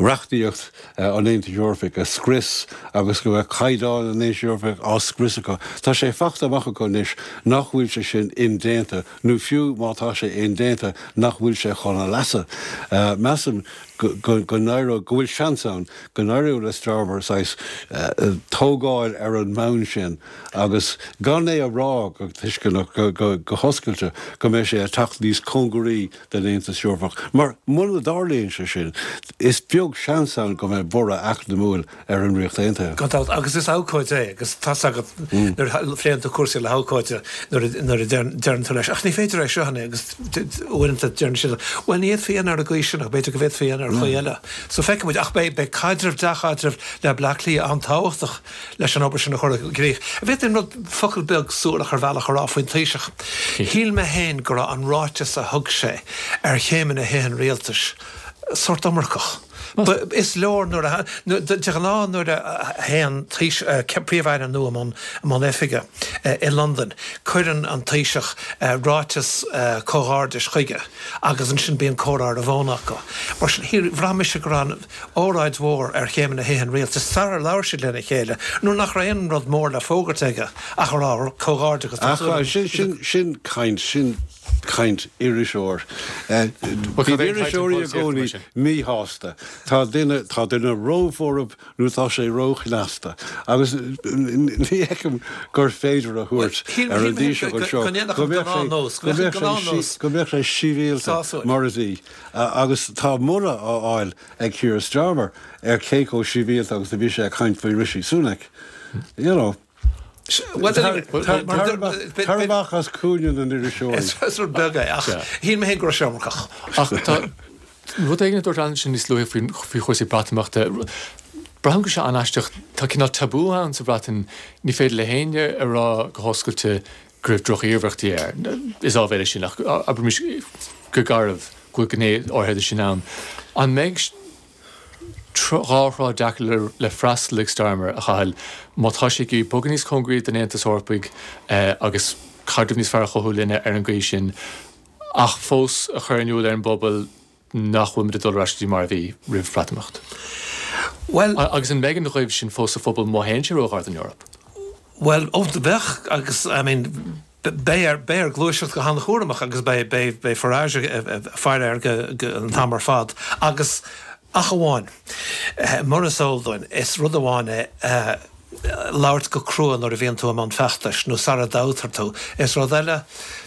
reachtaíocht an Aontais Eorpaigh a scrios agus go mbeadh caighdeáin an Aontais Eorpaigh á scrios acu. Tá sé fachta amach acu anois nach bhfuil sé sin indéanta, nó fiú má tá sé indéanta, nach bhfuil sé chun a leasa. Measaim go go n-éireoidh, go bhfuil seans ann go n-éireoidh le Starmer saghas tógáil ar an mbonn sin agus gan é a rá go tuisceanach, go go hoscailte, go mbeidh sé ag teacht níos cóngaraí don Aontas Eorpach. Mar muna dtarlaíonn sé sin, is beag seans ann go mbeidh borradh eacnamúil ar an Ríocht Aontaithe. Gan dabht, agus is abhcóide é, agus tá's agat nuair a phléann tú cúrsaí le habhcóide nuair a deireann tú leis, ach ní féidir é seo a agus uaireanta deireann siad, bhuel ní fhéadfaí a dhéanamh ar an gcaoi sin ach b'fhéidir go bhféadfaí a dhéanamh ar chaoi eile. So feicfidh muid, ach beidh beidh caidreamh, dea-chaidreamh le Bleá Cliath an-tábhachtach leis an obair sin a chur i gcrích. An bhféadfainn rud, focal beag suarach ar bhealach a rá faoin Taoiseach? Shíl mé féin go raibh an ráiteas a thug sé ar chéimeanna Thithe an Rialtais sórt iomarcach. Is leor nuair a, de ghnáth nuair a théann Príomh-Aire nua i mbun oifige i Londain, cuireann an Taoiseach ráiteas comhghairdis chuige agus ansin bíonn comhrá ar an bhfón acu. Mar sin, bhraith mise go raibh an óráid mhór ar chéimeanna Thithe an Rialtais sarar labhair siad lena chéile, nuair nach raibh aon rud mór le fógairt aige ach a rá comhghairdeachas tá súil agam. Sin caint, sin caint iriseoir. Bíonn iriseoirí i gcónaí míshásta. Tá duine, tá duine róbhorb nó tá sé róchneasta. Agus ní fheicim gur féidir a thabhairt ar an dTaoiseach anseo go mbeadh sé, go mbeadh sé sibhialta mar a bhí. Agus tá moladh á fháil ag Keir Starmer ar cé chomh sibhialta agus a bhí sé ag caint faoi Rishi Sunak. You know. Tar amach as cúinne na n-iriseoirí. Is rud beag é, ach shíl mé féin go raibh sé iomarcach. Ach tá rud éigin a dúirt Alan ansin níos luaithe faoi chúrsaí Breatimeachta. Braithim go bhfuil sé an-aisteach. Tá cineál tabú ann sa Bhreatain. Ní féidir le héinne a rá go hoscailte go raibh droch-iarmhairtí air. Is áibhéil é sin, ach abraimis go garbh go bhfuil gné áirithe de sin ann. An mbeidh dhá thrá deacair le freastal ag Starmer, a Chathail, má tá sé ag iarraidh bogadh níos cóngaraí don Aontas Eorpaigh agus caidreamh níos fearr a chothú linne ar an gcaoi sin, ach fós a chur in iúl ar an bpobal nach bhfuil muid ag dul ar ais go dtí mar a bhí roimh Bhreatimeacht? Bhuel. Agus an mbeidh an ghoimh sin fós sa phobal má théann sé róghar don Eoraip? Bhuel, ó, bheadh, agus, I mean, beidh air, beidh air gluaiseacht go han-chúramach agus beidh, beidh, beidh Farage ag faire air go, go, an t-am ar fad. Agus, ach amháin, mar is eol dúinn, is rud amháin é labhairt go crua nuair a bhíonn tú i mbun feachtais nó sara dtoghtar tú. Is rud eile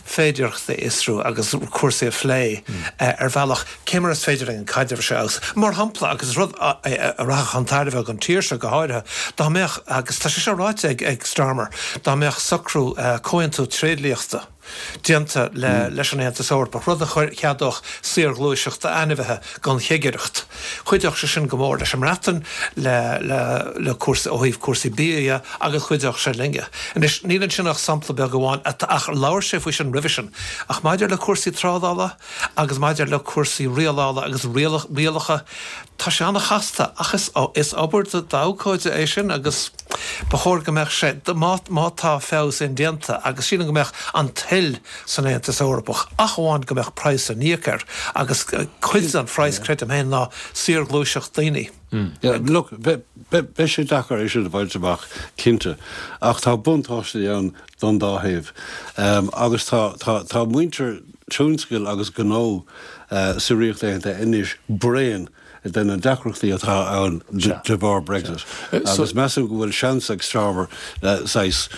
féidearthachtaí a fhiosrú agus cúrsaí a phlé ar bhealach, cé mar is féidir linn an caidreamh seo a fheabhsú. Mar shampla, agus is rud a rachadh chun tairbhe don tír seo go háirithe, dá mbeadh, agus tá sé seo ráite ag Starmer, dá mbeadh socrú, comhaontú tréidliachta, déanta le, leis an Aontas Eorpach, rud a cheadódh saorghluaiseacht ainmhithe gan chigireacht. Chuideodh sé sin go mór leis an mBreatain, le, le, le cúrsaí, ó thaobh cúrsaí bia dhe, agus chuideodh sé linne. Anois, níl ansin ach sampla beag amháin, ach labhair sé faoi sin roimhe sin. Ach maidir le cúrsaí trádála agus maidir le cúrsaí rialála agus rialacha, tá sé an-chasta, ach is, is obair d'abhcóide é sin agus ba chóir go mbeadh sé, má, má tá feabhas indéanta, agus sílim go mbeadh an toil san Aontas Eorpach, ach amháin go mbeadh praghas le n-íoc air, agus cuid den phraghas, creidim féin, ná saorghluaiseacht daoine. Yeah, look, beidh sé deacair é sin a bhaint amach, cinnte, ach tá buntáistí ann don dá thaobh. Agus tá, tá, tá muintir tionscail agus gnó sa Ríocht Aontaithe anois bréan de na deacrachtaí atá ann de bharr Brexit. Agus measaim go bhfuil seans ag Starmer saghas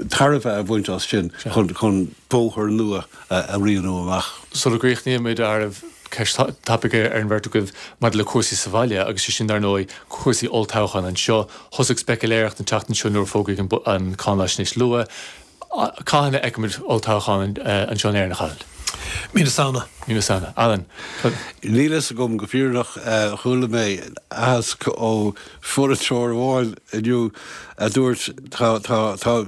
tairbhe a bhaint as sin chun bóthar nua a rianú amach. Sula gcríochnaímid, a fhearaibh, ceist tapaidh ar an bheirt agaibh maidir le cúrsaí sa bhaile agus sé sin, dar ndóigh, cúrsaí olltoghcháin anseo. Thosaigh speiciléireacht an tseachtain seo nuair a fógraíodh an cáinaisnéis luath. Cathain a fheicfimid olltoghchán anseo in Éirinn, a Chathail? Mí na Samhna. Mí na Samhna. Alan? Níl fhios agam go fírinneach. Chuala mé aitheasc ó pholaiteoir amháin inniu a dúirt tá, tá, tá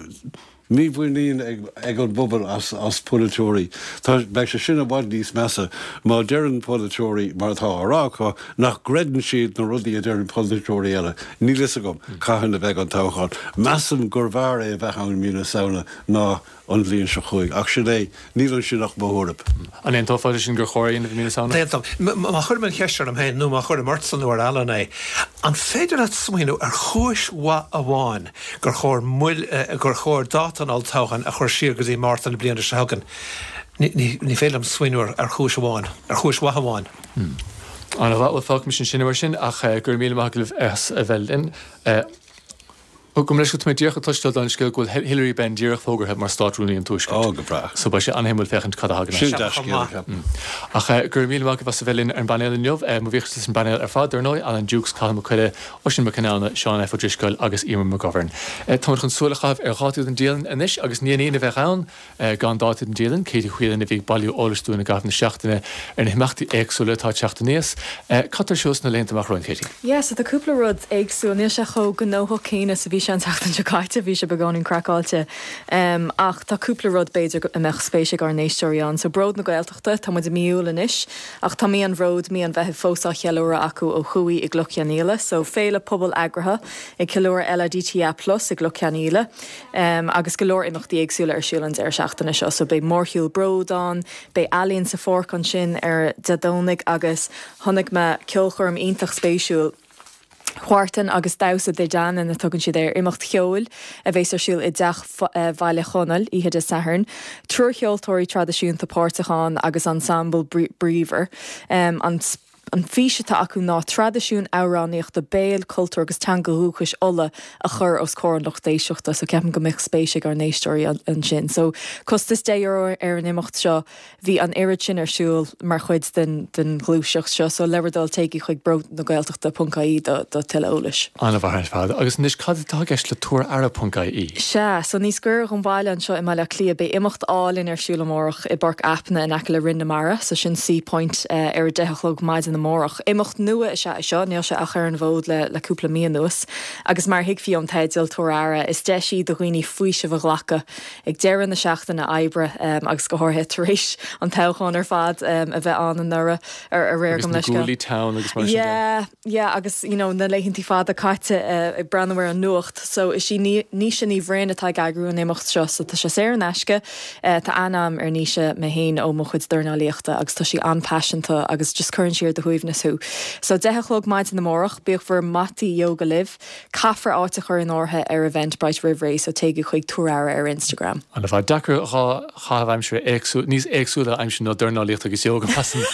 mímhuinín ag, ag an bpobal as, as polaiteoirí. Tá, beidh sé sin i bhfad níos measa má deireann polaiteoirí, mar atá á rá acu, nach gcreideann siad na rudaí a deireann polaiteoirí eile. Níl fhios agam cathain a bheidh an toghchán. Measaim gurbh fhearr é a bheith ann i mí na Samhna ná an bhliain seo chugainn. Ach sin é, níl ansin ach mo thuairim. An aontófá leis sin gur chóir é a dhéanamh i mí na Samhna? D'aontóinn. Má chuirim an cheist orm féin, nó má chuirim ortsa nó ar Alan é, an féidir leat smaoineamh ar chúis mhaith amháin gur chóir moill, gur chóir dáta an olltoghcháin a chur siar go dtí Márta na bliana seo chugainn? Ní, ní féidir liom smaoineamh ar chúis amháin, ar chúis mhaith amháin. An-mhaith, bhuel fágfaimis ansin mar sin, ach go raibh míle maith agaibh as a bheith linn. Ó, gabh mo leithscéal, tá mé díreach ag cloisteáil den scéal go bhfuil Hilary Benn díreach fógartha mar Stát-Rúnaí an Tuaiscirt. Ó, go breá. So beidh sé an-shuimiúil féachaint cad a thagann as. Sin dea-scéal, ceapaim. Ach go raibh míle maith agaibh as a bheith linn ar an bpainéal inniu. Mo bhuíochas leis an bpainéal ar fad, dar ndóigh, Alan Dukes, Cathal Mac Coille, Oisín Mac Conamhna, Seán F. Ó Drisceoil agus Emer McGovern. Táimid chun súil a chaitheamh ar dhátaí don dialann anois agus ní haon Aoine a bheadh ann gan dátaí don dialann. Katie Whelan a bhí ag bailiú eolais dúinn i gcaitheamh na seachtaine ar na himeachtaí éagsúla atá ag teacht aníos. Cad tá ar siúl sna laethanta amach romhainn, Katie? Yeah, so tá cúpla rud éagsúil. Níl sé chomh gnóthach céanna is a bhí sé an tseachtain seo caite, bhí sé beagáinín craiceáilte. Ach tá cúpla rud b'fhéidir a mbeadh spéis ag ár n-éisteoirí ann. So Bród na Gaeltachta, tá muid i mí Iúil anois, ach tá mí an Bhróid, mí an Mheithimh fós á cheiliúradh acu ó thuaidh i gCloich Cheann Fhaola. So féile pobail eagraithe ag ceiliúradh LADTA Plus i gCloich Cheann Fhaola. Agus go leor imeachtaí éagsúla ar siúl an deireadh seachtaine seo. So beidh mórshiúl Bród ann, beidh ealaín sa pháirc ansin ar Dé Domhnaigh agus chonaic mé ceolchoirm iontach spéisiúil, Huartan agus Damhsa Dé Danann a tugann siad air, imeacht cheoil a bheas ar siúl i dTeach Bhaile Chonaill oíche Dé Sathairn. Triúr cheoltóirí traidisiúnta páirteach ann agus ensemble bríomhar. An An fís atá acu ná traidisiún amhránaíochta béil, cultúr agus teanga dhúchais Uladh a chur os comhair an lucht éisteachta so ceapaim go mbeadh spéis ag ár n-éisteoirí ansin. So costas deich euro ar an imeacht seo. Bhí an oiread sin ar siúl mar chuid den den ghluaiseacht seo so le bhur dtoil téigí chuig bródnagaeltachta ponc ie do do tuilleadh eolais. An-mhaith ar fad. Agus anois cad atá i gceist le tabhair aire ponc ie? Sea, so níos gaire don bhaile anseo i mBaile Átha Cliath beidh imeacht álainn ar siúl amárach i bPáirc Aipne in aice le Rinn na Mara, so sin Seapoint ar a deich a chlog maidin amárach. Imeacht nua is ea é seo, níl sé ach ar an bhfód le le cúpla mí anuas, agus mar a thuigfí ón teideal, Tabhair Aire, is deis í do dhaoine faoiseamh a ghlacadh ag deireadh na seachtaine oibre agus go háirithe tar éis an toghchán ar fad a bheith ann anuraidh, ar aréir Agus gabh na mo leithscéal. guaillí teann agus mar sin de. Yeah, yeah agus you know na laethantaí fada caite ag breathnú ar an nuacht. So is í Naoise Ní Bhroin atá ag eagrú an imeacht seo so tá sé saor in aisce. Tá aithne agam ar Naoise mé féin ó mo chuid dornálaíochta agus tá sí an-phaiseanta agus just cuireann sí ar do shuaimhneas thú. So deich a chlog maidin amárach, bíodh bhur mataí ióga libh. Caithfear áit a chur in áirithe ar Eventbrite roimh ré so téigí chuig Tabhair Aire ar Instagram. An-mhaith. Deacair dhá chaitheamh aimsire éagsúil, níos éagsúla a aimsiú ná dornálaíocht agus ióga, measaim.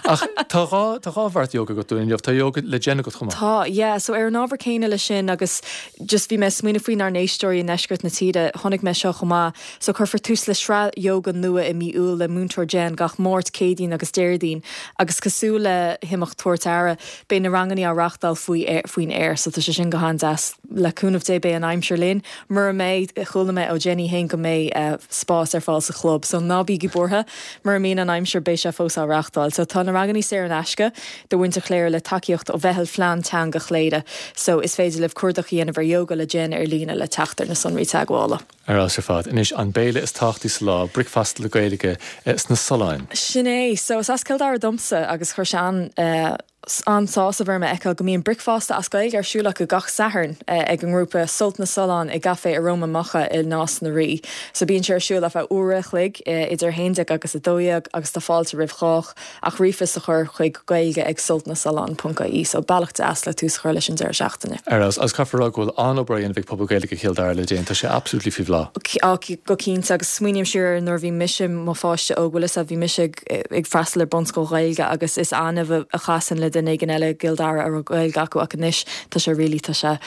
Ach tá dhá, tá dhá bheart ióga agat dúinn inniu. Tá ióga le Jen agat chomh maith. Tá, yeah. So ar an ábhar céanna leis sin agus just bhí mé ag smaoineamh faoinár n-éisteoirí i ndeisceart na tíre, chonaic mé seo chomh maith. So cuirfear tús le sraith ióga nua i mí Iúil le Múinteoir Jen gach Máirt, Céadaoin agus Déardaoin agus cosúil le himeacht Tabhairt Aire, beidh na ranganna á reáchtáil faoi, faoin aer so tá sé sin go han-deas. le cúnamh Dé beidh an aimsir linn. Mura mbeidh, chuala mé ó Jenny féin go mbeidh spás ar fáil sa chlub, so ná bígí buartha, mura mbíonn an aimsir beidh sé fós á reáchtáil. So tá na ranganna saor in aisce do mhuintir Chléire le tacaíocht ó Mheitheal Phlean Teanga Chléire, so is féidir libh cuardach a dhéanamh ar Yoga le Jen ar líne le teacht ar na sonraí teagmhála. Ar fheabhas ar fad. Anois an béile is tábhachtaí sa lá, bricfeasta le Gaeilge sna Solláin. Sin é. So is as Cill Dara domsa agus chuir sé an an-sásamh orm a fheiceáil go mbíonn bricfeasta as Gaeilge ar siúl acu gach Satharn ag an ngrúpa Sult na Sollán i gCaifé Aroma Macha i Nás na Rí. So bíonn sé ar siúl ar feadh uair a chloig idir a haon déag agus a dó dhéag agus tá fáilte roimh chách ach ríomhphost a chur chuig gaeilge ag sultnasollán ponc ie. So bealach deas le tús a chur leis an deireadh seachtaine. Ar fheabhas. Agus caithfear a rá go bhfuil an-obair á dhéanamh ag pobal Gaeilge Chill Dara le déanaí. Tá sé absolutely faoi bhláth. Á, go cinnte agus smaoiním siar ar nuair a bhí mise i mo pháiste óg, bhfuil fhios a'd, bhí mise ag ag freastal ar bunscoil Ghaeilge agus is annamh a chasainn le duine éigin eile i gCill Dara a raibh Gaeilge acu ach anois tá sé really, tá sé,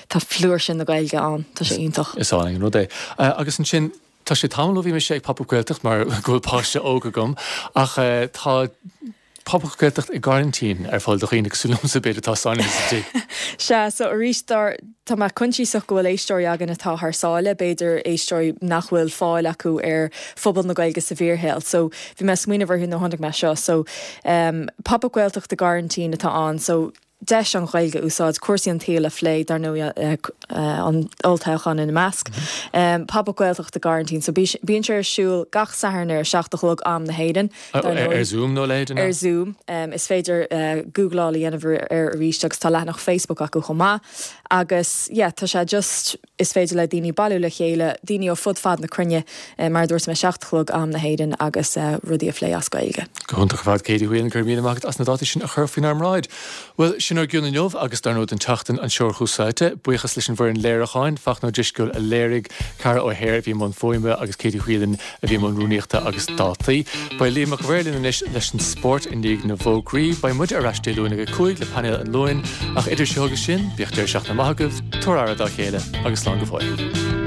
tá flúirse na Gaeilge ann, tá sé iontach. Is álainn an rud é. Agus ansin, tá sé tamall ó bhí mise ag Pop Up Gaeltacht mar go bhfuil páiste óg agam ach tá Pop Up Gaeltacht i gcoraintín ar fáil do dhaoine cosúil liomsa b'fhéidir atá sáinnithe sa tigh. Sea, so arís dár, tá mé coinsiasach go bhfuil éisteoirí againn atá thar sáile, b'fhéidir éisteoirí nach bhfuil fáil acu ar phobal na Gaeilge sa bhfíorshaol. So bhí mé ag smaoineamh orthu nuair a chonaic mé seo. So um, Pop Up Gaeltacht i gcoraintín atá ann, so deis an Ghaeilge a úsáid, cúrsaí an tsaoil a phlé, dar ndóigh an olltoghchán ina measc. Pop Up Gaeltacht i gcoraintín, so bíonn sé ar siúl gach Satharn ar a seacht a chlog am na hÉireann, dar ndóigh. Ar Zoom nó a leithéid, an ea? Ar Zoom. Is féidir googláil a dhéanamh air arís agus tá leathanach Facebook acu chomh maith. Agus yeah, tá sé just, is féidir le daoine bailiú le chéile, daoine ó fud fad na cruinne, mar a dúirt mé, seacht a chlog am na hÉireann agus rudaí a phlé as Gaeilge. Go hiontach ar fad, Katie Whelan, go raibh míle maith agat as na dátaí sin a chur faoinár mbráid. Bhuel, sin ár gcion inniu agus dar ndóigh don tseachtain anseo ar Thús Áite. Buíochas leis an bhfoireann léiriúcháin, Fachtna Ó Drisceoil a léirigh, Ceara O'Hare a bhí i mbun fuaime agus Katie Whelan a bhí i mbun rúnaíochta agus dátaí. Beidh Liam Mac a' Mhaoir linn anois leis an spórt i ndiaidh na bhfógraí. Beidh muide ar ais Dé Luain ag a cúig le painéal an Luain, ach idir seo agus sin, bíodh deireadh seachtaine maith agaibh, tabhair aire dá chéile agus slán go fóill.